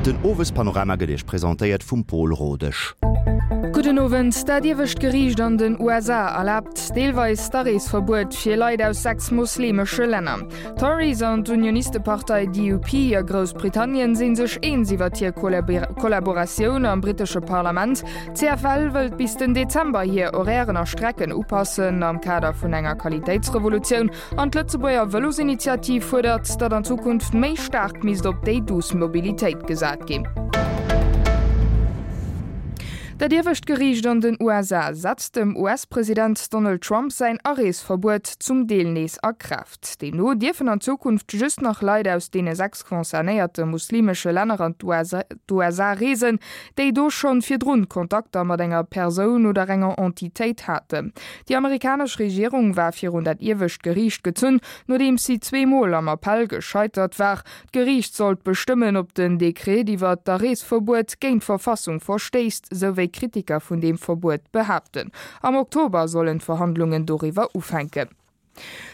Den Owespanorama gëtt Iech presentéiert vum Pol Rodesch. Gudden Owend. Dat iewescht Geriicht an den USA erlaabt deelweis d'Areesverbuet fir Leit aus 6 moslemesche Länner. D'Tories an d'Unionistepartei DUP a Groussbritannien si sech eens iwwer hir Kollaboratioun am brittesche Parlament. D'CFL wëllt bis den Dezember hir Horairen a Strecken upassen am Kader vun enger Qualitéitsrevolutioun. An d'Lëtzebuerger Vëlosinitiativ fuerdert, datt an Zukunft méi staark misst op déi douce Mobilitéit gesat ginn. Dat iewescht Geriicht an den USA setzt dem US-President Donald Trump säin Areesverbuet zum Deel nees a Kraaft. Deemno dierfen an Zukunft just nach Leit aus deene 6 concernéierte muslimesche Länner an d'USA reesen, déi do schonn virdrun Kontakter mat enger Persoun oder enger Entitéit haten. Déi amerikanesch Regierung war virun dat iewescht Geriicht gezunn, nodeems si zweemol am Appell gescheitert war. D'Geriicht sollt bestëmmen, ob den Dekret iwwer d'Areesverbuet géint d'Verfassung verstéisst, sou wéi Kritiker vun deem Verbuet behaapten. Am Oktober sollen d'Verhandlungen doriwwer ufänken.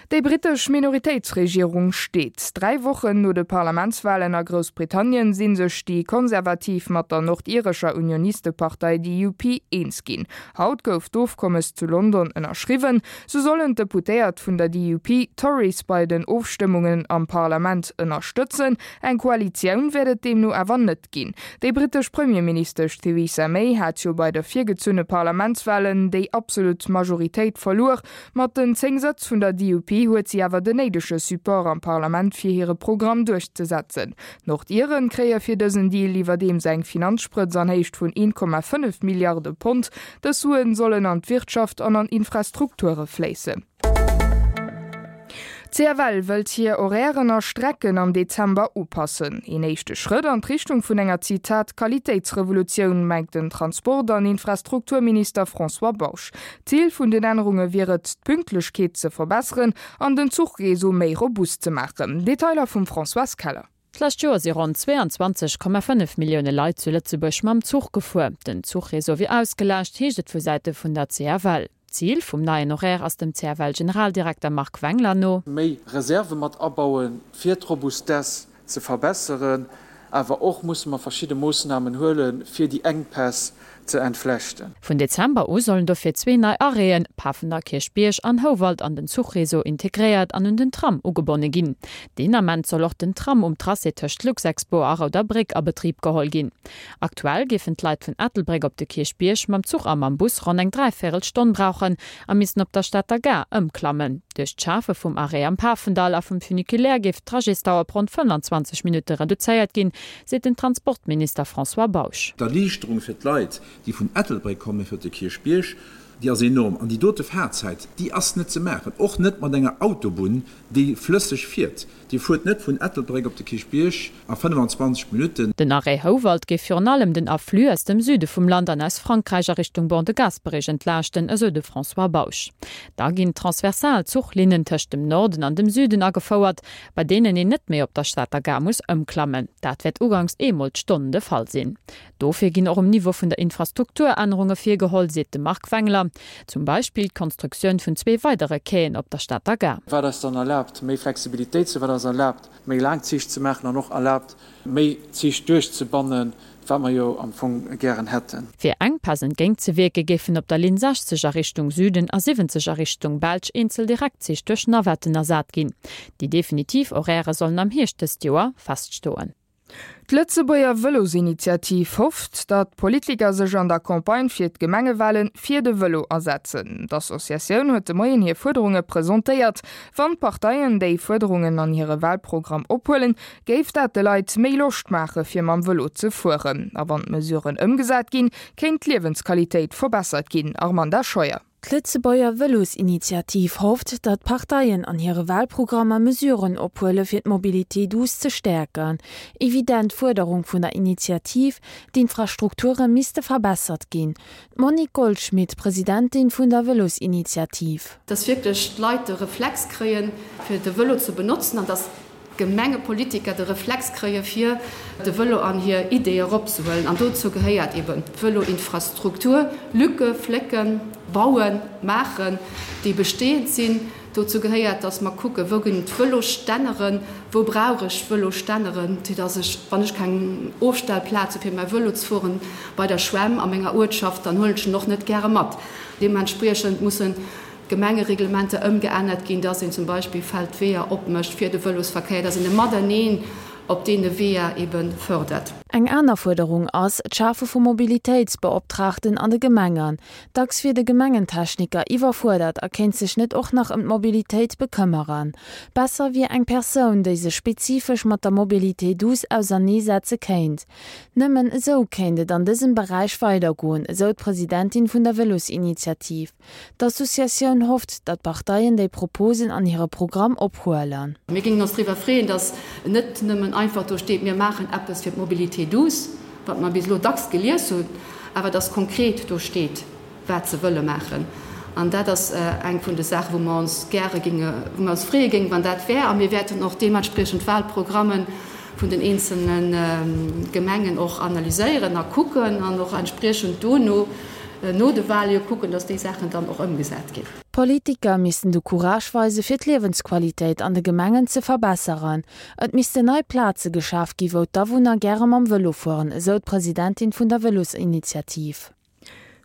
Déi brittesch Minoritéitsregierung steet. 3 Wochen no de Parlamentswalen a Groussbritannien si sech déi Konservativ mat der nordirescher Unionistepartei DUP eens ginn. Haut gouf d'Ofkommes zu London ënnerschriwwen. Sou sollen d'Deputéiert vun der DUP d'Tories bei den Ofstëmmungen am Parlament ënnerstëtzen. Eng Koalitioun wäert et deemno awer net ginn. Déi brittesch Premierministesch Theresa May hat jo bei de virgezunne Parlamentswalen déi absolut Majoritéit verluer. Mat den 10 Sëtz vun der DUP huet si awer den néidege Support am Parlament fir hire Programm duerchzesetzen. D'Nordiren kréie fir dësen Deal iwwerdeems eng Finanzsprëtz an Héicht vun 1,5 Milliarde Pond. Dës Suen sollen an d'Wirtschaft an an Infrastrukture fléissen. D'CFL wëllt hir Horairen a Strecken am Dezember upassen. Een éischte Schrëtt an d'Richtung vun enger, Zitat, Qualitéitsrevolutioun, mengt den Transport an Infrastrukturminister François Bausch. D'Zil vun den Ännerunge wier et, d'Pünktlechkeet ze verbesseren an den Zuchreseau méi robust ze maachen. Detailer vum Françoise Keller. D'lescht Joer si ronn 22,5 Millioune Leit zu Lëtzebuerg mam Zuch gefuer. Den Zuchreseau wier ausgelaascht, heescht et vu Säite vun der CFL. D'Zil vum neien Horaire ass dem CFL-Generaldirekter Marc Wengler no. Méi Reserve mat abauen, fir d'Robustesse ze verbesseren. Awer och musse mer verschidde Moossnamen huelen, fir déi Enkpäss ze entflechten. Vun Dezember u sollen dofir zwee nei Arrêten, Pafender Kierchbierg an Houwald, an den Zuchreseau integréiert an un den Tram ugebonne ginn. Deen Ament soll och den Tram um Tracé tëscht Luxexpo a Rouder Bréck a Betrib geholl ginn. Aktuell géifen d'Leit vun Ettelbréck op de Kierchbierg mam Zuch a mam Bus ronn eng dräivéierel Stonn brauchen a missten op der Stater Gare ëmklammen. Duerch d'Schafe vum Arrêt am Pafendall a vum Funiculaire géif d'Trajetsdauer op ronn 25 Minutte reduzéiert ginn, seet den Transportminister François Bausch. D'Erliichterung fir d'Leit, déi vun Ettelbréck kommen fir op de Kierchbierg, déi ass enorm. An déi dote Fahrzäit, déi ass net ze maachen, och net mat enger Autobunn, déi flësseg fiert. Dir fuert net vun Ettelbréck op de Kierchbierg a 25 Minutten. Den Arrêt Houwald géif virun allem den Afflux aus dem Süde vum Land an aus Frankräich a Richtung Ban de Gasperich entlaaschten, esou de François Bausch. Da ginn transversal Zuchlinnen tëscht dem Norden an dem Süden agefouert, bei deenen een net méi op der Stater Gare muss ëmklammen. Dat wäert uganks eemol d'Stonn de Fall sinn. Dofir ginn och um Niveau vun der Infrastruktur Ännerunge virgeholl, seet de Marc Wengler. Zum Beispill d'Konstruktioun vun zwee weidere Quaien op der Stater Gare. Wat eis dann erlaabt, méi Flexibilitéit ze, wat eis erlaabt, méi laang Zich ze maachen an och erlaabt, méi Zich duerchzebannen, wat mer jo am Fong gären hätten. Fir Enkpäss entgéintzewierke géifen op der Linn 60 a Richtung Süden a 70 a Richtung Belsch eenzel Direktzich duerch Navetten ersat ginn. Déi definitiv Horairë sollen am Hierscht dëst Joer feststoen. D'Lëtzebuerger Vëlosinitiativ hofft, datt d'Politiker sech an der Campagne fir d'Gemengewale fir de Vëlo asetzen. D'Associatioun huet de Moien hir Fuerderunge presentéiert. Wann d'Parteien déi Fuerderungen an hire Walprogramm ophuelen, géif dat de Leit méi Loscht maache fir mam Vëlo ze fueren. A wann d'Mesuren ëmgesat ginn, kéint d'Liewensqualitéit verbessert ginn. Armanda Scheuer. D'Lëtzebuerger Vëlosinitiativ hofft, datt d'Parteien an hire Walprogrammer Mesuren ophuele fir d'Mobilité douce ze stäerken. Evident Fuerderung vun der Initiativ, d'Infrastrukture misste verbessert ginn. D'Monique Goldschmit, Presidentin vun der Vëlosinitiativ. Dass wierklech d'Leit de Reflex kréien, fir de Vëlo ze benotzen an dass Gemengepolitiker de Reflex kréie fir de Vëlo an hir Ideeë eropzehuelen. An dozou gehéiert eben d'Vëloinfrastruktur, Lücke flécken, bauen, maachen, déi bestehend sinn. Dozou gehéiert, dass mer kucken, wou ginn et Vëlosstänneren, wou brauch ech Vëlosstänneren, fir dass ech, wann ech keng Ofstellplaz hu fir mäi Vëlo ze fueren, bei der Schwämm a menger Uertschaft, dann huelen ech en och net gäre mat. Deementspriechend mussen d'Gemengereglementer ëmgeännert ginn, dass een zum Beispill Feldweeër opmécht fir de Vëlosverkéier, dass een e Mateneen op deene Weeër ebe fërdert. Eng aner Fuerderung ass d'Schafe vu Mobilitéitsbeoptraagten an de Gemengen. Dacks wier de Gemengentechniker iwwerfuerdert a kéint sech net och nach ëm d'Mobilitéit bekëmmeren. Besser wier eng Persoun, déi sech spezifesch mat der Mobilité douce auserneesetze kéint. Nëmmen esou kéint et an dësem Beräich weidergoen, esou d'Presidentin vun der Vëlosinitiativ. D'Associatioun hofft, datt d'Parteien déi Proposen an hire Programm ophuelen. Mir géingen ons driwwer freeën, datt net nëmmen einfach do steet, mir maachen eppes fir d'Mobilité douce, wat mer bis elo dacks gelies hunn, awer datt konkret do steet, wat se wëlle maachen. An dat ass eng vun de Saachen, wou mer ons gäre géinge, wou mer ons freeë géingen, wann dat wär. A mir wäerten och deementspriechend d'Wahlprogramme vun den eenzelne Gemengen och analyséieren a kucken an och entspriechend dono, no de Wahle jo kucken, dass déi Saachen dann och ëmgesat ginn. D'Politiker missten de Courage weise fir d'Liewensqualitéit an de Gemengen ze verbesseren. Et missten nei Plaze geschaf gi wou d'Awunner gäre mam Vëlo fueren, esou d'Presidentin vun der Vëlosinitiativ.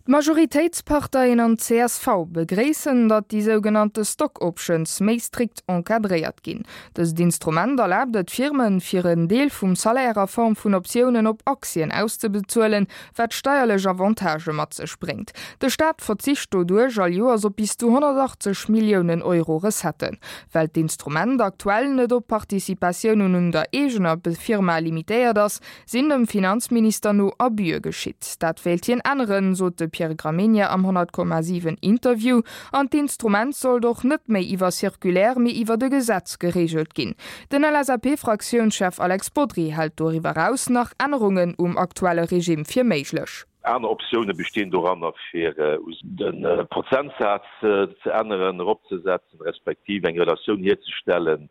D'Majoritéitsparteien an d'CSV begréissen, datt déi sougenannte Stock Options méi strikt encadréiert ginn. Dëst Instrument erlaabt et Firmen, fir en Deel vum Salaire a Form vun Optiounen op Aktien auszebezuelen, wat steierlech Avantagë mat sech bréngt. De Staat verzicht doduerch all Joers op bis zu 180 Milliounen Euro Recetten. Well d'Instrument aktuell net op Participatiounen un der eegener Firma limitéiert ass, sinn dem Finanzminister no Abüe geschitt. Dat wéilt hien änneren, sot de Pierre Gramegna am 100,7 Interview. An d'Instrument sollt och net méi iwwer Circulaire, mee iwwert e Gesetz gereegelt ginn. Den LSAP-Fraktiounschef Alex Bodry hält doriwwer eraus nach Ännerungen um aktuelle Regime fir méiglech. Aner Optioune bestinn doranner, fir de Prozentsaz ze änneren, eropzesetzen, respektiv eng Relatioun hierzestellen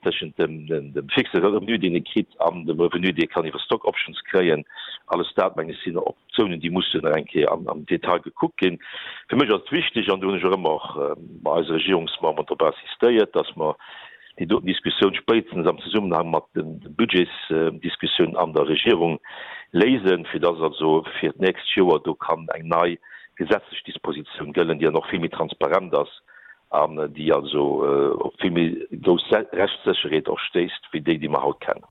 tëschent dem fixe Revenu, deen ee kritt, an dem Revenu, dee ee kann iwwer Stock Options kréien. Alles dat, meng ech, sinn Optiounen, déi mussen nach eng Kéier am Detail gekuckt ginn. Fir mech ass et wichteg, an do hunn ech och ëmmer och bei eise Regierungsmemberen drop insistéiert, dass mer déi doten Diskussioun spéitstens am Zesummenhang mat de Budgetsdiskussioun an der Regierung léisen, fir dass also fir d'nächst Joer do kann eng nei gesetzlech Dispositioun gëllen, déi dann och vill méi transparent ass an déi also op vill méi grouss Rechtssécherheet och stéisst wéi déi, déi mer haut kennen.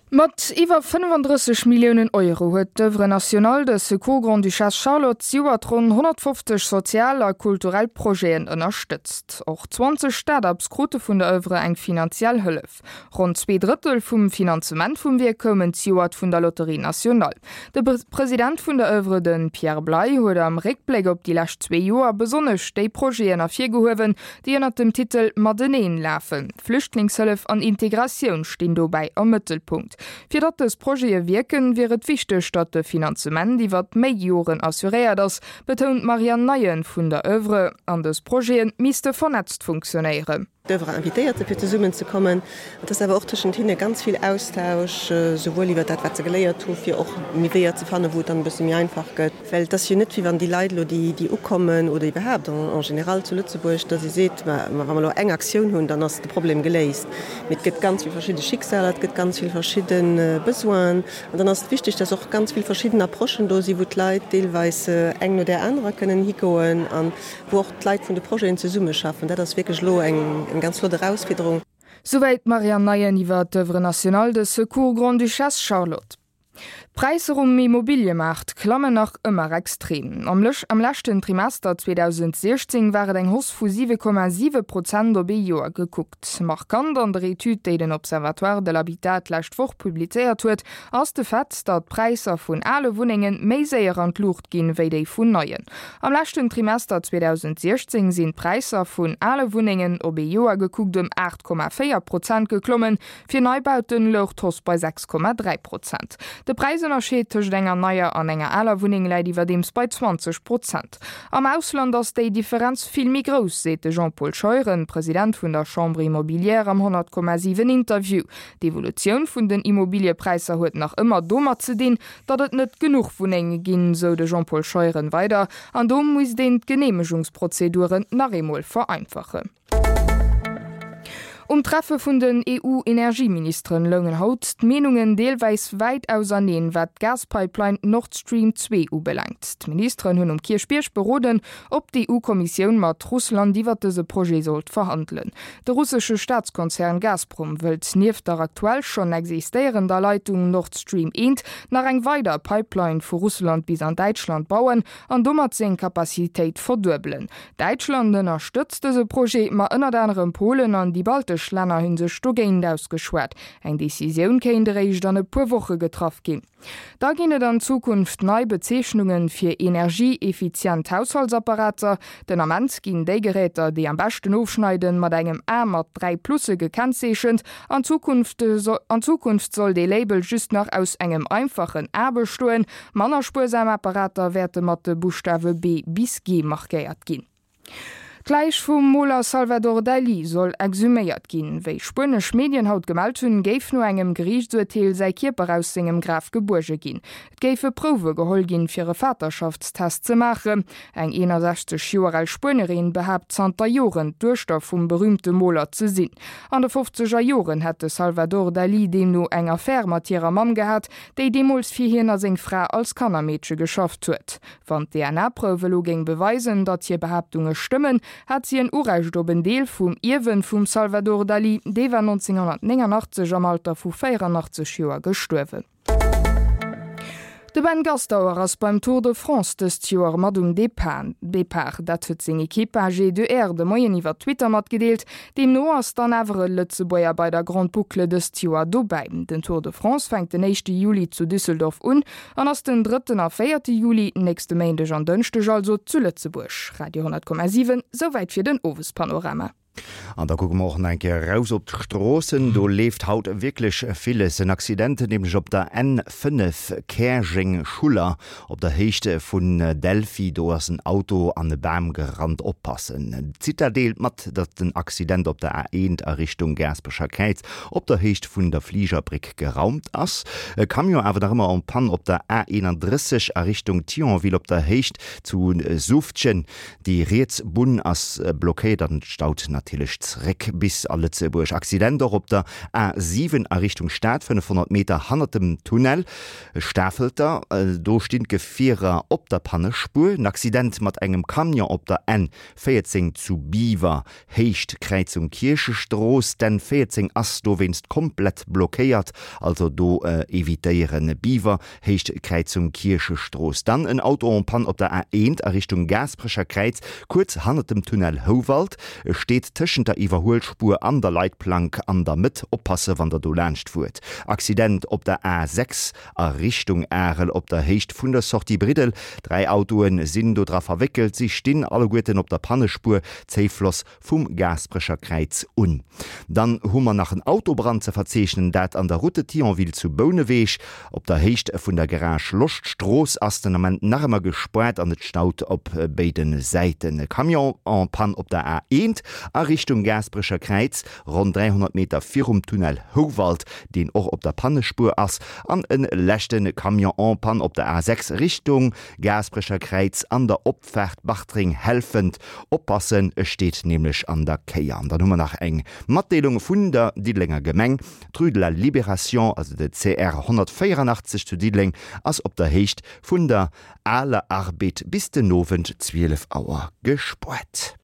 Mat iwwer 35 Milliounen Euro huet d'Oeuvre nationale de secours Grande-Duchesse Charlotte zejoert ronn 150 sozial a kulturell Projeten ënnerstëtzt. Och 20 Start-ups krute vun der Oeuvre eng finanziell Hëllef. Ronn 2 Drëttel vum Finanzement vum Wierk koumen zejoert vun der Loterie Nationale. De President vun der Oeuvre, de Pierre Bley, huet am Réckbléck op déi lescht zwee Joer besonnesch déi Projeten ervirgehuewen, déi ënnert dem Titel Mateneen lafen. Flüchtlingshëllef an Integratioun stinn dobäi am Mëttelpunkt. Fir datt dës Projete wierken, wier et wichteg, datt de Finanzement iwwert méi Joren assuréiert ass, betount d'Marianne Neyen vun der Oeuvre. An dës Projete misste vernetzt funktionéieren. D'Oeuvre invitéiert se fir zesummen ze kommen. Et ass awer och tëschent hinne ganz vill Austausch, souwuel iwwer dat wat se geléiert hu fir och méi Weeër ze fannen, wou et dann e bësse méi einfach gëtt. Well et ass jo net, wéi wann déi Leit elo, déi, déi ukommen oder iwwerhaapt en, en général zu Lëtzebuerg, datt ee seet, ma, ma wa mer elo eng Aktioun hunn, dann ass de Problem geléist. Mee et gëtt ganz vill verschidde Schicksaler, et gëtt ganz vill verschidde Besoinen. An dann ass et wichteg, datt och ganz vill verschidden Approchen do sinn, wou d'Leit deelweis eng no där anerer kënnen higoen a wou och d'Leit vun de Projeten zesummeschaffen. Dat ass wierklech elo eng, eng ganz flott Erausfiederung. Souwäit d'Marianne Neyen iwwer d'Oeuvre nationale de secours Grande-Duchesse Charlotte. D'Präisser um Immobiliëmaart klammen nach ëmmer extrem. Am am leschten Trimester 2016 war et eng Hausse vu 7,7 Prozent op ee Joer gekuckt. Markant an der Etüd, déi den Observatoire de l'habitat d'lescht Woch publizéiert huet, ass de Fait, datt d'Präisser vun ale Wunnenge méi séier an d'Luucht ginn, wéi déi vun neien. Am leschten Trimester 2016 sinn d'Präisser vun ale Wunnengen op ee Joer gekuckt ëm 8,4 Prozent geklommen, Fir Neibauten louch d'Hausse bei 6,3 Prozent. De Präis. Präisënnerscheed tëscht enger neier an enger aler Wunneng läit iwwerdeems bei 20 Prozent. Am Ausland ass déi Differenz vill méi grouss, seet de Jean-Paul Scheuren, President vun der Chambre immobilière am 100,7 Interview. D'Evolutioun vun den Immobiliëpräisser huet nach ëmmer domat ze dinn, datt et net genuch Wunnenge ginn, sou de Jean-Paul Scheuren weider. An do misst een d'Geneemegungsprozeduren nach eemol vereinfachen. Um Treffe vun den EU-Energieministeren loungen haut d'Meenungen deelweis wäit auserneen, wat d'Gaspipeline Nord Stream 2 ubelaangt. D'Ministeren hunn um Kierchbierg beroden, ob d'EU-Kommissioun mat Russland iwwer dëse Projet sollt verhandelen. De russesche Staatskonzern Gazprom wëllt nieft der aktuell schonn existéierender Leitung Nord Stream 1 nach eng weider Pipeline vu Russland bis an Däitschland bauen an domat seng Capacitéit verduebelen. Däitschland ënnerstëtzt dëse Projet, ma ënnert anerem Polen an déi baltesch Länner hu sech dogéint ausgeschwat. Eng Decisioun kéint eréischt an e puer Woche getraff ginn. Da ginn et an Zukunft nei Bezeechnunge fir energieeffizient Haushaltsapparater. Den Ament ginn déi Geräter, déi am beschten ofschneiden, mat engem A mat 3 Plusse gekennzeechent. An Zukunft an Zukunft soll dee Label just nach aus engem einfachen A bestoen. Manner spuersam Apparater wäerte mat de Buschtawe B bis G markéiert ginn. D'Läich vum Moler Salvador Dalí soll exhuméiert ginn. Wéi spuenesch Medien haut gemellt hunn, géif no engem Geriichtsurteel säi Kierper aus sengem Graf gebuerge ginn. Et géife Prouwe geholl ginn, fir e Vaterschaftstest ze maachen. Eng 61 Joer al Spuenerin behaapt zanter Joren, d'Duechter vum berüümte Moler ze sinn. An de fofzeger Joren hätt de Salvador Dalí deemno eng Affär mat hirer Mamm gehat, déi deemools fir hien a seng Fra als Kannermeedche geschafft huet. Wann d'DNA-Prouf elo géing beweisen, datt hir Behaaptunge stëmmen, hat si en Urecht op en Deel vum Ierwen vum Salvador Dalí. Dee war 1989 am Alter vu 84 Joer gestuerwen. De Ben Gastauer ass beim Tour de France dëst Joer mat um Depart. Dat huet seng Ekipp AG2R de Moien iwwer Twitter matgedeelt. Deemno ass dann awer e Lëtzebuerger bei der Grande Boucle dëst Joer dobäi. Den Tour de France fänkt den éischte Juli zu Düsseldorf un an ass den drëtten a véierte Juli, nächste Méindeg an Dënschdeg also, zu Lëtzebuerg. Radio 10,7, Souwäit fir den Owespanorama. An da kucke mer och nach eng Kéier eraus op d'Stroossen. Do leeft haut wierklech villes. En Accident nämlech op der N5 Käerjeng-Schuller Op der Héicht vun Delphi, do ass en Auto an e Bam gerannt. Oppassen! D'Cita deelt mat, datt den Accident op der A1 a Richtung Gaasperecher Kräiz op der Héicht vun der Fligerbréck geraumt ass. E Camion awer nach ëmmer en panne op der A31 a Richtung Thionville op der Héicht zu Suftgen. Déi riets Bunn ass blockéiert an et staut natierlech zeréck bis a Lëtzebuerg. Accident och op der A7 a Richtung Stad, 500 Meter hannert dem Tunnel. Stafelter, Do stinn d'Gefierer op der Pannespuer. En Accident mat engem Camion op der N 14 zu Biwer, Héicht Kräizung Kierchestrooss. D'N 14 ass dowéinst komplett blockéiert, also do evitéieren. Biwer, Héicht Kräizung Kierchestrooss. Dann en Auto en panne op der A 1 a Richtung Gaasperecher Kräiz, kuerz hannert dem Tunnel Houwald. E steet tëschent der Iwwerhuelspuer an der Leitplank an der Mëtt. Oppasse wann der do laanscht fuert. Accident op der A 6 a Richtung Arel op der Héicht vun der Sortie Briddel. 3 Autoe sinn do dra verwéckelt. Si stinn alleguerten op der Pannespuer Zéifloss vum Gaasperecher Kräiz un. Dann hu mer nach en Autobrand ze verzeechnen, dat an der Route de Thionville zu Bouneweg. Op der Héicht vun der Garage Loschtstrooss ass den Ament nach ëmmer gespaart an et staut op béide Säiten. E Camion en panne op der A1 a Richtung Gaasperecher Kräiz, ronn 300 Meter virum Tunnel Houwald, deen och op der Pannespuer ass, an e leschte Camion en panne op der A6 Richtung Gaasperecher Kräiz an der Opfaart Bartreng-Helfent. Oppassen, e steet nämlech an der Kéier. An dann hu mer nach eng Matdeelung vun der Diddelenger Gemeng. D'Rue de la Libération, also de CR 184 zu Diddeleng, ass op der Héicht vun der Aler Arbed bis den Owend 12 Auer gespuert.